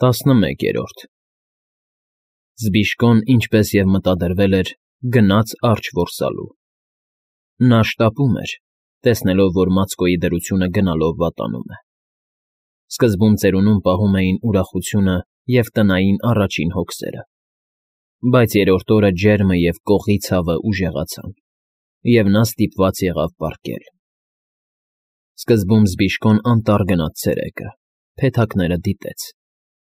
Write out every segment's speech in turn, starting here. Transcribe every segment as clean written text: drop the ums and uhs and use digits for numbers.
11-րդ Զբիշկոն, ինչպես և մտադրվել էր, գնաց արջ որսալու։ Նա շտապում էր, տեսնելով, որ Մացկոյի դրությունը գնալով վատանում է։ Սկզբում ծերունում պահում էին ուրախությունը և տնային առաջին հոգսերը, բայց երրորդ օրը ջերմը և կողի ցավը ուժեղացան, և նա ստիպված եղավ պառկել։ Սկզբում Զբիշկոն անտառ գնաց ցերեկը, փեթակները դիտեց,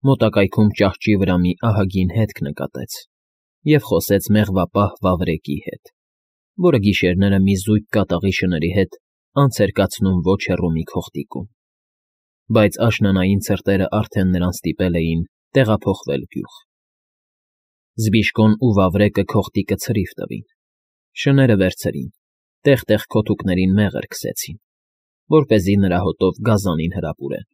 մոտակայքում ճահճի վրա մի ահագին հետք նկատեց և խոսեց մեղվապահ վավրեկի հետ, որը գիշերները մի զույգ կատաղի շների հետ անց էր կացնում ոչ հեռու մի քողտիկում, բայց աշնանային ցրտերը արդեն նրան ստիպել էին տեղափոխվել գյուղ։ Զբիշկոն ու վավրեկը քողտիկը ցրիվ տվին, շները վերցրին, տեղ֊տեղ քոթուկներին մեղր քսեցին, որպեսզի նրա հոտով գազանին հրապուրեն,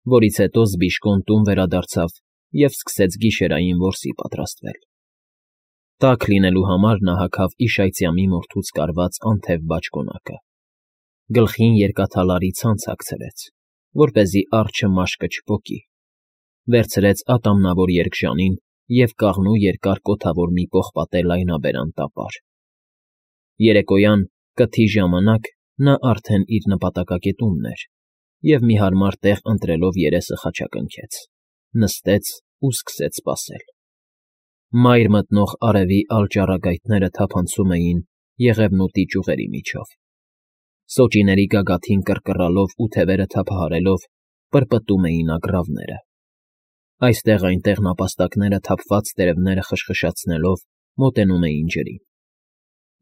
որից հետո Զբիշկոն տուն վերադարձավ և սկսեց գիշերային որսի պատրաստվել։ Տաք լինելու համար նա հագավ իշայծյամի մորթուց կարված անթև բաճկոնակը, գլխին երկաթալարի ցանց հագցրեց, որպեսզի արջը մաշկը չպոկի, վերցրեց ատամնավոր երկժանին և կաղնու երկար կոթավոր մի պողպատե լայնաբերան տապար։ Երեկոյան, կթի ժամանակ, նա արդեն իր նպատակակետումն էր և մի հարմար տեղ ընտրելով երեսը խաչակնքեց, նստեց ու սկսեց սպասել։ Մայր մտնող արևի ալճառագայթները թափանցում էին եղևնուտի ճյուղերի միջով, սոճիների գագաթին կռկռալով ու թևերը թափահարելով պրպտում էին ագռավները։ Այստեղ֊այնտեղ նապաստակները թափված տերևները խշխշացնելով մոտենում էին ջրին։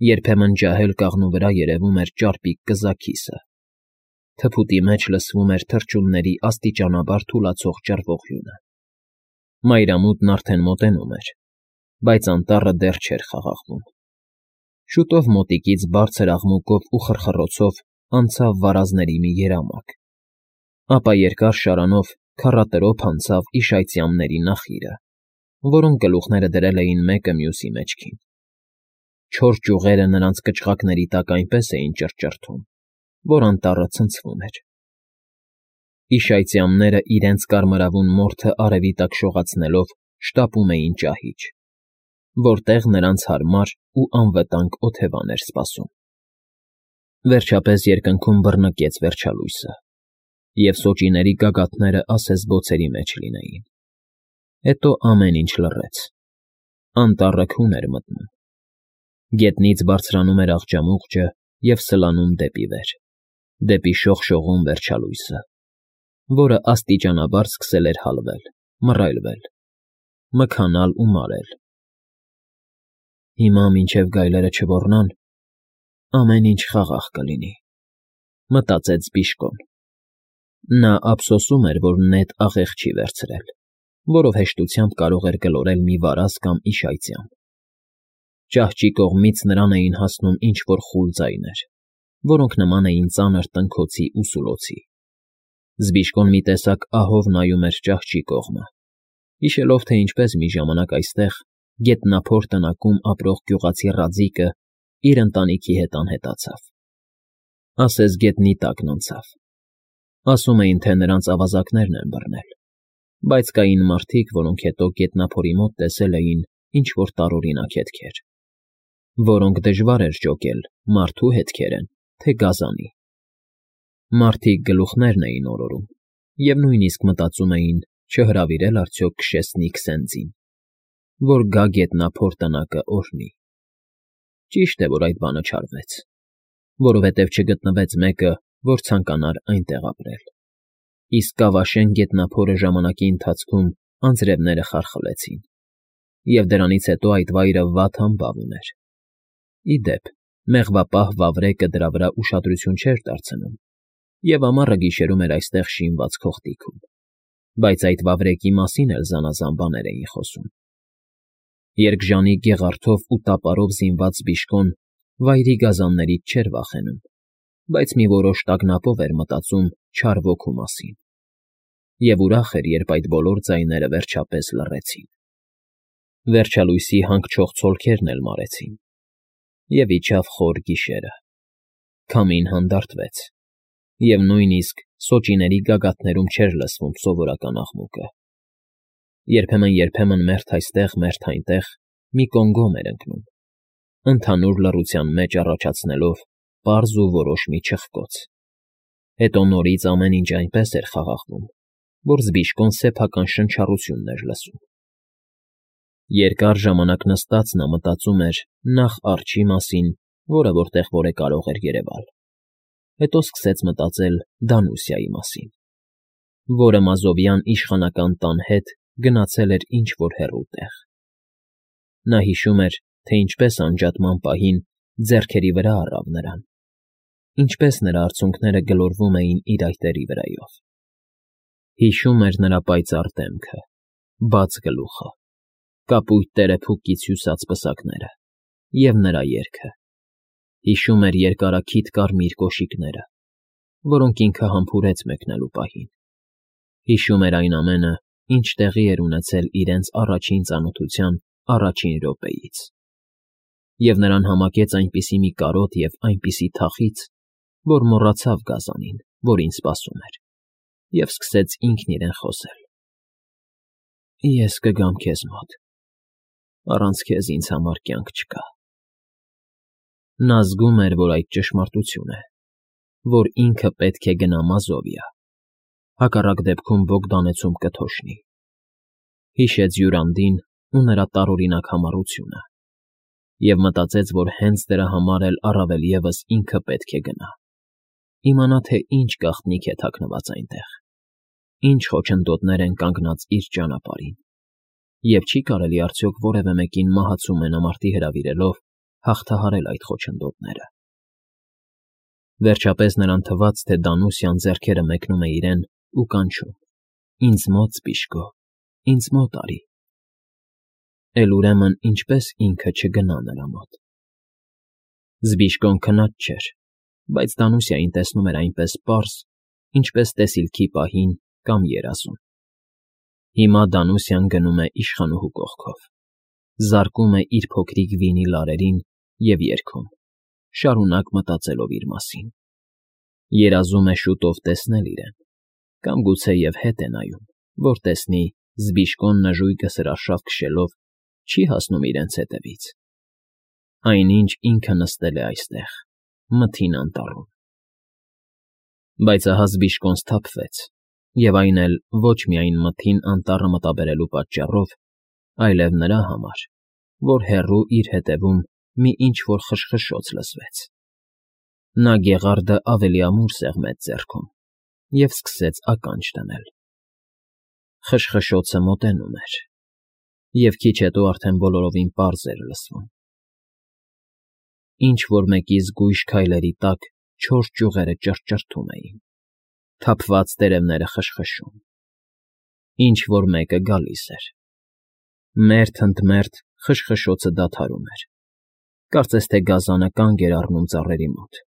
Երբեմն ջահել կաղնու վրա երևում էր ճարպիկ կզաքիսը, թփուտի մեջ լսվում էր թռչունների աստիճանաբար թուլացող ճռվողյունը։ Մայրամուտն արդեն մոտենում էր, բայց անտառը դեռ չէր խաղաղվում։ Շուտով մոտիկից բարձր աղմուկով ու խռխռոցով անցավ վարազների մի երամակ, ապա երկար շարանով քառատրոփ անցավ իշայծյամների նախիրը, որոնք գլուխները դրել էին մեկը մյուսի մեջքին։ Չոր ճյուղերը նրանց կչղակների տակ այնպես էին ճռճռթում, որ անտառը ցնցվում էր։ Իշայծյամները իրենց կարմրավուն մորթը արևի տակ շողացնելով շտապում էին ճահիճ, որտեղ նրանց հարմար ու անվտանգ օթևան էր սպասում։ Վերջապես երկնքում բռնկեց վերջալույսը, և սոճիների գագաթները ասես բոցերի մեջ լինեին։ Հետո ամեն ինչ լռեց։ Անտառը քուն էր մտնում։ Գետնից բարձրանում էր աղջամուղջը և սլանում դեպի վեր, դեպի շողշողուն վերջալույսը, որը աստիճանաբար սկսել էր հալվել, մռայլվել, մքանալ ու մարել։ «Հիմա մինչև գայլերը չոռնան, ամեն ինչ խաղաղ կլինի», ֊ մտածեց Զբիշկոն։ Նա ափսոսում էր, որ նետ աղեղ չի վերցրել, որով հեշտությամբ կարող էր գլորել մի վարազ կամ իշայծյամ։ Ճահճի կողմից նրան էին հասնում ինչ֊որ խուլ ձայներ, որոնք նման էին ծանր տնքոցի ու սուլոցի։ Զբիշկոն մի տեսակ ահով նայում էր ճահճի կողմը, հիշելով, թե ինչպես մի ժամանակ այստեղ, գետնափոր տնակում ապրող գյուղացի Ռաձիկը իր ընտանիքի հետ անհետացավ։ Ասես գետնի տակն անցավ։ Ասում էին, թե նրանց ավազակներն են բռնել, բայց կային մարդիկ, որոնք հետո գետնափորի մոտ տեսել էին ինչ֊որ տարօրինակ հետքեր, որոնք դժվար էր ջոկել մարդու հետքեր են, թե գազանի։ Մարդիկ գլուխներն էին օրորում և նույնիսկ մտածում էին չհրավիրել արդյոք Քշեսնի Քսենդզին, որ գա գետնափոր տնակը օրհնի։ Ճիշտ է, որ այդ բանը չարվեց, որովհետև չգտնվեց մեկը, որ ցանկանար այնտեղ ապրել, իսկ Կավաշեն գետնափորը ժամանակի ընթացքում անձրևները խարխլեցին, և դրանից հետո այդ վայրը վատ համբավ ուներ։ Ի դեպ, մեղվապահ վավրեկը դրա վրա ուշադրություն չէր դարձնում և ամառը գիշերում էր այստեղ շինված քողտիքում, բայց այդ վավրեկի մասին էլ զանազան բաներ էին խոսում։ Երկժանի գեղարդով ու տապարով զինված Զբիշկոն վայրի գազաններից չէր վախենում, բայց մի որոշ տագնապով էր մտածում չար ոգու մասին, և ուրախ էր, երբ այդ բոլոր ձայները վերջապես լռեցին։ Վերջալույսի հանգչող ցոլքերն էլ մարեցին, և իջավ խոր գիշերը։ Քամին հանդարտվեց, և նույնիսկ սոճիների գագաթներում չէր լսվում սովորական աղմուկը։ Երբեմն մերթ այստեղ, մերթ այնտեղ մի կոնգոմ էր ընկնում, ընդհանուր լռության մեջ առաջացնելով պարզ ու որոշ մի չխկոց, հետո նորից ամեն ինչ այնպես էր խաղաղվում, որ Զբիշկոն սեփական շնչառությունն էր լսում։ Երկար ժամանակ նստած նա մտածում էր նախ արջի մասին, որը որտեղ կարող էր երևալ, հետո սկսեց մտածել Դանուսիայի մասին, որը մազովյան իշխանական տան հետ գնացել էր ինչ֊որ հեռու տեղ։ Նա հիշում էր, թե ինչպես անջատման պահին ձեռքերի վրա առավ նրան, ինչպես նրա արցունքները գլորվում էին իր այտերի վրայով։ Հիշում էր նրա պայծառ դեմքը, բաց գլուխը, կապույտ տերեփուկից հյուսած պսակները և նրա երգը։ Հիշում էր երկարաքիթ կարմիր կոշիկները, որոնք ինքը համբուրեց մեկնելու պահին։ Հիշում էր այն ամենը, ինչ տեղի էր ունեցել իրենց առաջին ծանոթության առաջին րոպեից։ Եվ նրան համակեց այնպիսի մի կարոտ և այնպիսի թախիծ, որ մոռացավ գազանին, որին սպասում էր, և սկսեց ինքն իրեն խոսել. «Ես կգամ քեզ մոտ, առանց քեզ ինձ համար կյանք չկա»։ Նա զգում էր, որ այդ ճշմարտություն է, որ ինքը պետք է գնա Մազովիա, հակառակ դեպքում Բոգդանեցում կթոշնի։ Հիշեց Յուրանդին ու նրա տարօրինակ համառությունը և մտածեց, որ հենց դրա համար էլ առավել ևս ինքը պետք է գնա, իմանա, թե ինչ գաղտնիք է թաքնված այնտեղ, ինչ խոչընդոտներ են կանգնած իր ճանապարհին, և չի կարելի արդյոք որևէ մեկին մահացու մենամարտի հրավիրելով հաղթահարել այդ խոչընդոտները։ Վերջապես նրան թվաց, թե Դանուսյան ձեռքերը մեկնում է իրեն ու կանչում. «Ինձ մոտ, Զբիշկո, ինձ մոտ արի»։ Էլ ուրեմն ինչպես ինքը չգնա նրա մոտ։ Զբիշկոն քնած չէր, բայց Դանուսիային տեսնում էր այնպես պարզ, ինչպես տեսիլքի պահին կամ երազում։ Հիմա Դանուսյան գնում է իշխանուհու կողքով, զարկում է իր փոքրիկ վինի լարերին և երգում, շարունակ մտածելով իր մասին։ Երազում է շուտով տեսնել իրեն, կամ գուցեև հետ է նայում, որ տեսնի Զբիշկոն նժույգը սրարշավ քշելով չի հասնում իրենց հետևից։ Այնինչ ինքը նստել է այստեղ, մթին անտառում։ Բայց ահա Զբիշկոն սթափվեց, և այն էլ ոչ միայն մթին անտառը մտաբերելու պատճառով, այլև նրա համար, որ հեռու իր ետևում մի ինչ֊որ խշխշոց լսվեց։ Նա գեղարդը ավելի ամուր սեղմեց ձեռքում և սկսեց ականջ դնել։ Խշխշոցը մոտենում էր, և քիչ հետո արդեն բոլորովին պարզ էր լսվում։ Ինչ֊որ մեկի զգույշ քայլերի տակ չոր ճյուղերը ճռճռթում էին, թափված տերևները խշխշում։ Ինչ֊որ մեկը գալիս էր։ Մերթ ընդ մերթ խշխշոցը դադարում էր, կարծես թե գազանը կանգ էր առնում ծառերի մոտ,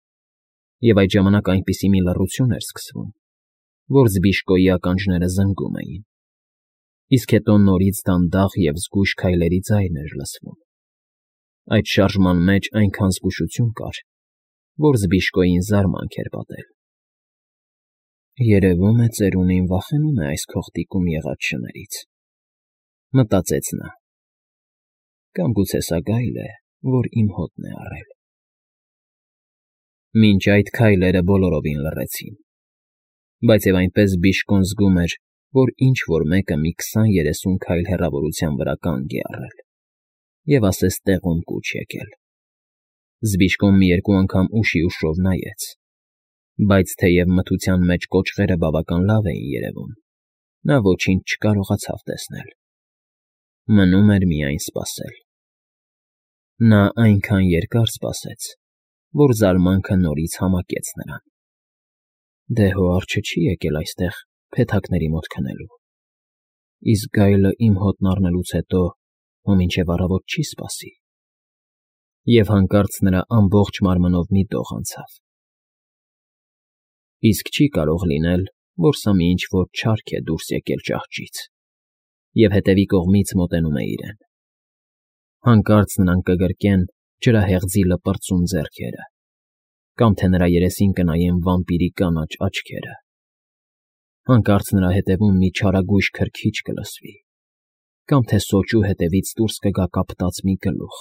և այդ ժամանակ այնպիսի մի լռություն էր սկսվում, որ Զբիշկոյի ականջները զնգում էին, իսկ հետո նորից դանդաղ և զգույշ քայլերի ձայն էր լսվում։ Այդ շարժման մեջ այնքան զգուշություն կար, որ Զբիշկոյին զարմանք էր պատել։ «Երևում է, ծերունին վախենում է այս քողտիկում եղած շներից», մտածեց նա, «կամ գուցե սա գայլ է, որ իմ հոտն է առել»։ Մինչ այդ քայլերը բոլորովին լռեցին, բայց և այնպես Զբիշկոն զգում էր, որ ինչ֊որ մեկը մի 20-30 քայլ հեռավորության վրա կանգ է առել և ասես տեղում կուչ եկել։ Զբիշկոն մի երկու անգամ ուշի ուշով նայեց, բայց թեև մթության մեջ կոճղերը բավական լավ էին երևում, նա ոչինչ չկարողացավ տեսնել։ Մնում էր միայն սպասել։ Նա այնքան երկար սպասեց, որ զարմանքը նորից համակեց նրան։ Դե հո արջը չի եկել այստեղ փեթակների մոտ քնելու, իսկ գայլը իմ հոտն առնելուց հետո հո մինչև առավոտ չի սպասի։ Եվ հանկարծ նրա ամբողջ մարմնով մի դող անցավ։ Իսկ չի կարող լինել, որ սա մի ինչ֊որ չարք է դուրս եկել ճահճից և հետևի կողմից մոտենում է իրեն։ Հանկարծ նրան կգրկեն ջրահեղձի լպրծուն ձեռքերը, կամ թե նրա երեսին կնայեն վամպիրի կանաչ աչքերը։ Հանկարծ նրա ետևում մի չարագույժ քրքիջ կլսվի, կամ թե սոճու հետևից դուրս կգա կապտած մի գլուխ,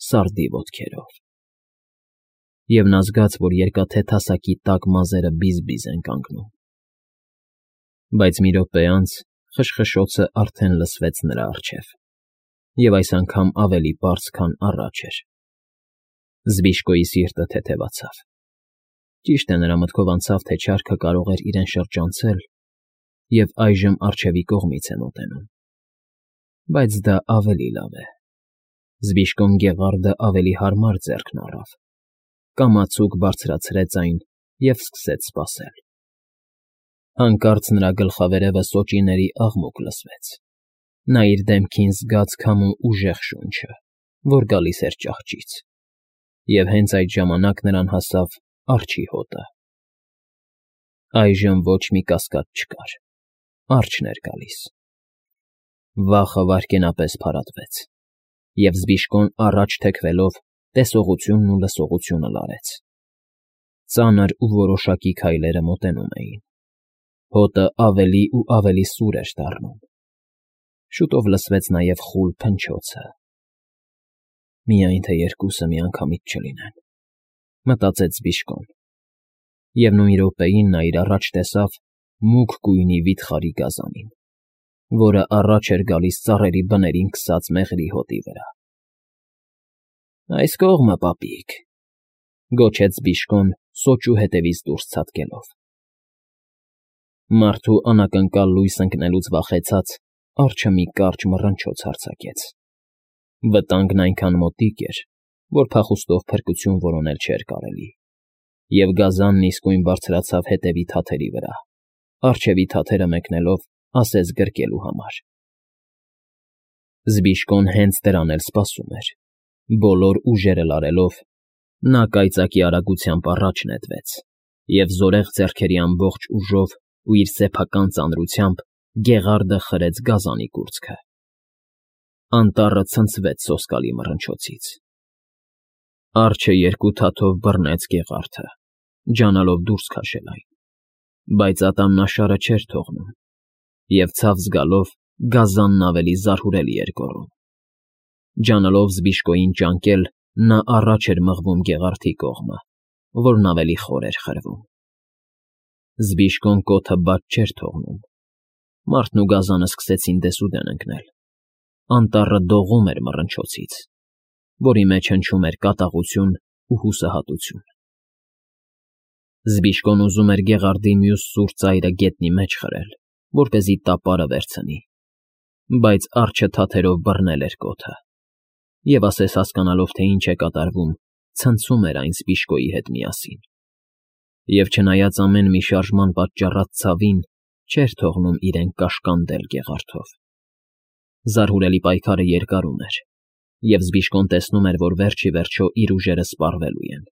սարդի ոտքերով։ Եվ նա զգաց, որ երկաթե թասակի տակ մազերը բիզ-բիզ են կանգնում։ Բայց մի րոպե անց խշխշոցը արդեն լսվեց նրա առջև, և այս անգամ ավելի պարզ, քան առաջ էր։ Զբիշկոյի սիրտը թեթևացավ։ Ճիշտ է, նրա մտքով անցավ, թե չարքը կարող էր իրեն շրջանցել, և այժմ առջևի կողմից է մոտենում։ Բայց դա ավելի լավ է։ Զբիշկոն գեղարդը ավելի հարմար ձեռքն առավ, կամացուկ բարձրացրեց այն և սկսեց սպասել։ Հանկարծ նրա գլխավերևը սոճիների աղմուկ լսվեց։ Նա իր դեմքին զգաց քամու ուժեղ շունչը, որ գալիս էր ճահճից, և հենց այդ ժամանակ նրան հասավ արջի հոտը։ Այժմ ոչ մի կասկած չկար, արջն էր գալիս։ Վախը վայրկենապես փարատվեց, և Զբիշկոն առաջ թեքվելով տեսողությունն ու լսողությունը լարեց։ Ծանր ու որոշակի քայլերը մոտենում էին։ Հոտը ավելի ու ավելի սուր էր դառնում։ Շուտով լսվեց նաև խուլ փնչոցը։ Միայն թե երկուսը միանգամից չլինեն, մտածեց Զբիշկոն, և նույն րոպեին նա իր առաջ տեսավ մուգ գույնի վիթխարի գազանին, որը առաջ էր գալիս ծառերի բներին քսած մեղրի հոտի վրա։ «Այս կողմը, պապիկ», գոչեց Զբիշկոն սոճու հետևից դուրս ցատկելով։ Մարդու անակնկալ լույս ընկնելուց վախեցած, արջը մի կարճ մռնչոց արձակեց։ Վտանգն այնքան մոտիկ էր, որ փախուստով փրկություն որոնել չէր կարելի, և գազանն իսկույն բարձրացավ հետևի թաթերի վրա, առջևի թաթերը մեկնելով ասես գրկելու համար։ Զբիշկոն հենց դրան էլ սպասում էր։ Բոլոր ուժերը լարելով, նա կայծակի արագությամբ առաջ նետվեց և զորեղ ձեռքերի ամբողջ ուժով ու իր սեփական ծանրությամբ գեղարդը խրեց գազանի կուրծքը։ Անտառը ցնցվեց սոսկալի մռնչոցից։ Արջը երկու թաթով բռնեց գեղարդը, ջանալով դուրս քաշել այն, բայց ատամնաշարը չէր թողնում, և ցավ զգալով գազանն ավելի զարհուրելի էր գոռում։ Ջանալով Զբիշկոյին ճանկել, նա առաջ էր մղվում գեղարդի կողմը, որն ավելի խոր էր խրվում։ Զբիշկոն կոթը բաց չէր թողնում։ Մարդն ու գազանը սկսեցին դեսուդեն ընկնել։ Անտառը դողում էր մռնչոցից, որի մեջ հնչում էր կատաղություն ու հուսահատություն։ Զբիշկոն ուզում էր գեղարդի մյուս սուր ծայրը գետնի մեջ խրել, որպեսզի տապարը վերցնի, բայց արջը թաթերով բռնել էր կոթը, և ասես հասկանալով, թե ինչ է կատարվում, ցնցում էր այն Զբիշկոյի հետ միասին, և չնայած ամեն մի շարժման պատճառած ցավին, չէր թողնում իրեն կաշկանդել գեղարդով։ Զարհուրելի պայքարը երկարում էր, և Զբիշկոն տեսնում էր, որ վերջ ի վերջո իր ուժերը սպառվելու են։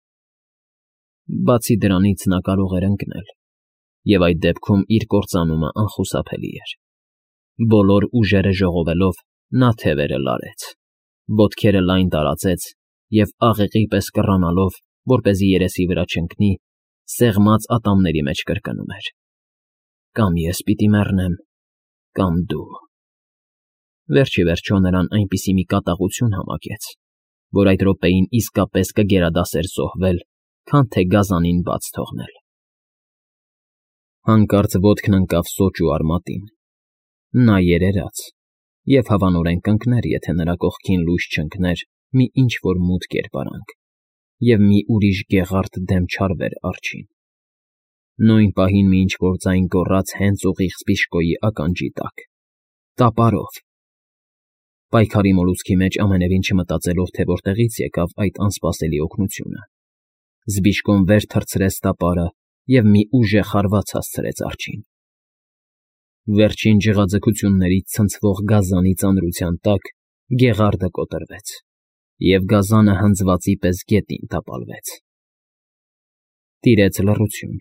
Բացի դրանից նա կարող էր ընկնել, և այդ դեպքում իր կործանումը անխուսափելի էր։ Բոլոր ուժերը ժողովելով, նա թևերը լարեց, ոտքերը լայն տարածեց և աղեղի պես կռանալով, որպեսզի երեսի վրա չընկնի, սեղմած ատամների մեջ կրկնում էր. «Կամ ես պիտի մեռնեմ, կամ դու»։ Վերջ ի վերջո նրան այնպիսի մի կատաղություն համակեց, որ այդ րոպեին իսկապես կգերադասեր զոհվել, քան թե գազանին բաց թողնել։ Հանկարծ ոտքն ընկավ սոճու արմատին։ Նա երերաց և հավանորեն կընկներ, եթե նրա կողքին լույս չընկներ մի ինչ֊որ մութ կերպարանք, և մի ուրիշ գեղարդ դեմ չարվեր արջին։ Նույն պահին մի ինչ֊որ ձայն գոռաց հենց ուղիղ Զբիշկոյի ականջի տակ. «Տապարով»։ Պայքարի մոլուցքի մեջ ամենևին չմտածելով, թե որտեղից եկավ այդ անսպասելի օգնությունը, Զբիշկոն վեր թռցրեց տապարը և մի ուժեղ հարված հասցրեց արջին։ Վերջին ջղաձգություններից ցնցվող գազանի ծանրության տակ գեղարդը կոտրվեց, և գազանը հնձվածի պես գետին տապալվեց։ Տիրեց լռություն,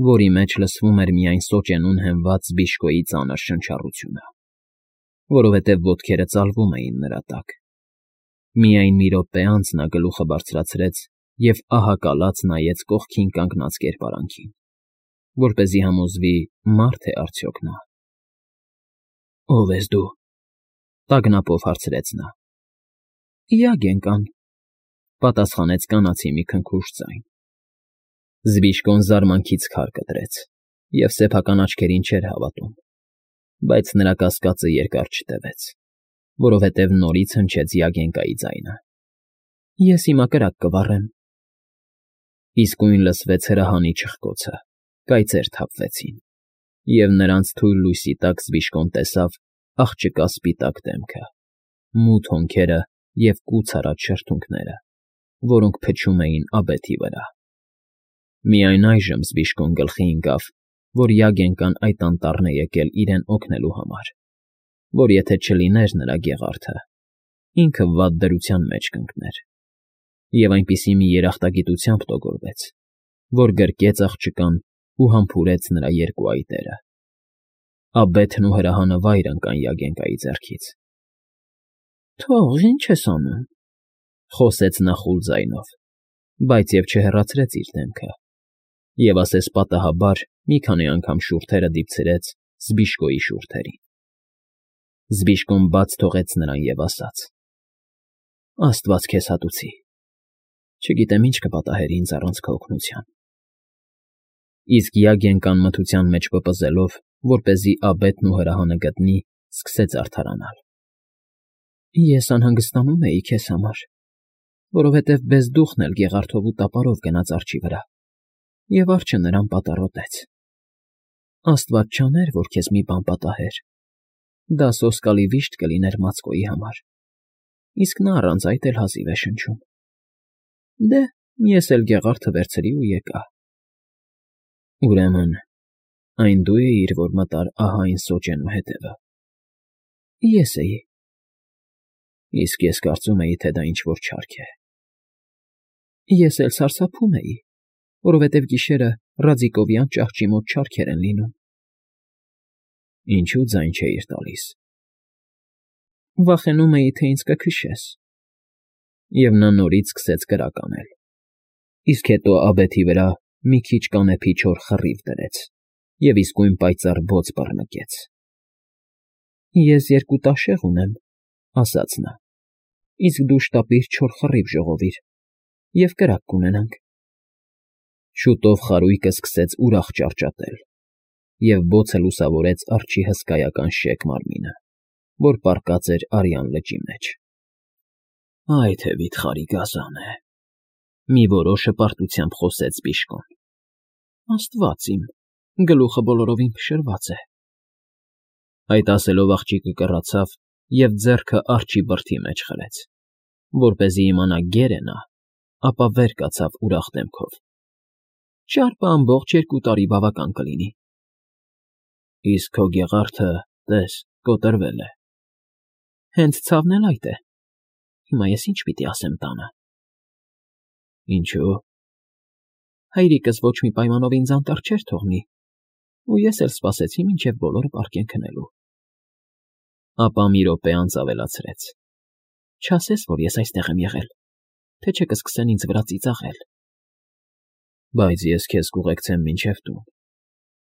որի մեջ լսվում էր միայն սոճենուն հենված Զբիշկոյի ծանր շնչառությունը, որովհետև ոտքերը ծալվում էին նրա տակ։ Միայն մի րոպե անց նա գլուխը բարձրացրեց և ահակալած նայեց կողքին կանգնած կերպարանքին, որպեսզի համոզվի՝ մարդ է արդյոք նա։ «Ո՞վ ես դու», Տագնապով հարցրեց նա։ Յագենկան, պատասխանեց կանացի մի քնքուշ ձայն։ Զբիշկոն զարմանքից քար կտրեց և սեփական աչքերին չէր հավատում, բայց նրա կասկածը երկար չտևեց, որովհետև նորից հնչեց Յագենկայի ձայնը։ Ես հիմա կրակ կվառեմ։ Իսկույն լսվեց հրահանի չխկոցը, կայծեր թափվեցին, և նրանց թույլ լույսի տակ Զբիշկոն տեսավ աղջկա սպիտակ դեմքը, մութ հոնքերը և կուց արած շրթունքները, որոնք փչում էին աբեթի վրա։ Միայն այժմ Զբիշկոն գլխի ընկավ, որ Յագենկան այդ անտառն է եկել իրեն օգնելու համար, որ եթե չլիներ նրա գեղարդը, ինքը վատ դրության մեջ կընկներ, և այնպիսի մի երախտագիտությամբ տոգորվեց, որ գրկեց աղջկան ու համբուրեց նրա երկու այտերը։ Աբեթն ու հրահանը վայր ընկան Յագենկայի ձեռքից։ Թող, ինչ ես անում,֊ խոսեց նա խուլ ձայնով, բայց և չհեռացրեց իր դեմքը, և ասես պատահաբար մի քանի անգամ շուրթերը դիպցրեց Զբիշկոյի շուրթերին։ Զբիշկոն բաց թողեց նրան և ասաց. Աստված քեզ հատուցի։ Չգիտեմ ինչ կպատահեր ինձ առանց քո օգնության։ Իսկ Յագենկան մթության մեջ պպզելով, որպեսզի աբեթն ու հրահանը գտնի, սկսեց արդարանալ։ Ես անհանգստանում էի քեզ համար, որովհետև բեզդուխն էլ գեղարդով ու տապարով գնաց արջի վրա, և արջը նրան պատառոտեց։ Աստված չաներ, որ քեզ մի բան պատահեր, դա սոսկալի վիշտ կլիներ Մացկոյի համար, իսկ նա առանց այդ էլ հազիվ է շնչում։ Դե, ես էլ գեղարդը վերցրի ու եկա։ Ուրեմն, այն դու էիր, որ մտար ահա այն սոճենու հետևը։ Ես էի։ Իսկ ես կարծում էի, թե դա ինչ֊որ չարք է։ Ես էլ սարսափում էի, որովհետև գիշերը Ռաձիկովյան ճահճի մոտ չարքեր են լինում։ Ինչու ձայն չէիր տալիս։ Վախենում էի, թե ինձ կքշես։ Եվ նա նորից սկսեց կրակ անել, իսկ հետո աբեթի վրա մի քիչ կանեփի չոր խռիվ դրեց և իսկույն պայծառ բոց բռնկեց։ Ես երկու տաշեղ ունեմ, ասաց նա, իսկ դու շտապիր չոր խռիվ ժողովիր, և կրակ կունենանք։ Շուտով խարույկը սկսեց ուրախ ճառճատել, և բոցը լուսավորեց արջի հսկայական շեկ մարմինը, որ պառկած էր արյան լճի մեջ։ Այ թե վիթխարի գազան է,֊ մի որոշ հպարտությամբ խոսեց Զբիշկոն։ Աստված իմ, գլուխը բոլորովին փշրված է։ Այդ ասելով աղջիկը կռացավ և ձեռքը արջի բրդի մեջ խրեց, որպեսզի իմանա գեր է նա, ապա վեր կացավ ուրախ դեմքով։ Ճարպը ամբողջ 2 տարի բավական կլինի։ Իսկ քո գեղարդը, տես, կոտրվել է։ Հենց ցավն էլ այդ է։ Հիմա ես ինչ պիտի ասեմ տանը։ Ինչո՞ւ։ Հայրիկս ոչ մի պայմանով ինձ անտառ չէր թողնի, ու ես էլ սպասեցի, մինչև բոլորը պառկեն քնելու։ Ապա մի րոպե անց ավելացրեց. Չասես, որ ես այստեղ եմ եղել, թե չէ կսկսեն ինձ վրա ծիծաղել։ Բայց ես քեզ կուղեկցեմ մինչև տուն,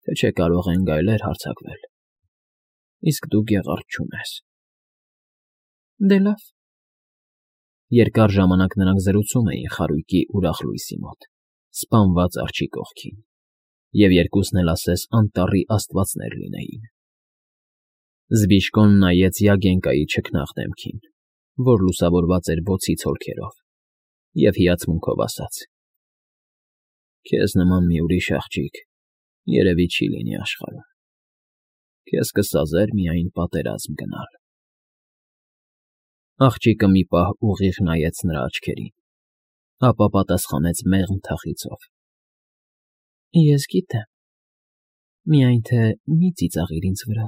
թե չէ կարող են գայլեր հարձակվել, իսկ դու գեղարդ չունես։ Դե լավ։ Երկար ժամանակ նրանք զրուցում էին խարույկի ուրախ լույսի մոտ, սպանված արջի կողքին, և երկուսն էլ ասես անտառի աստվածներ լինեին։ Զբիշկոն նայեց Յագենկայի չքնաղ դեմքին, որ լուսավորված էր բոցի ցոլքերով, և հիացմունքով ասաց. Քեզ նման մի ուրիշ աղջիկ երևի չի լինի աշխարհում։ Քեզ կսազեր միայն պատերազմ գնալ։ Աղջիկը մի պահ ուղիղ նայեց նրա աչքերին, ապա պատասխանեց մեղմ թախիծով. Ես գիտեմ, միայն թե մի ծիծաղիր ինձ վրա։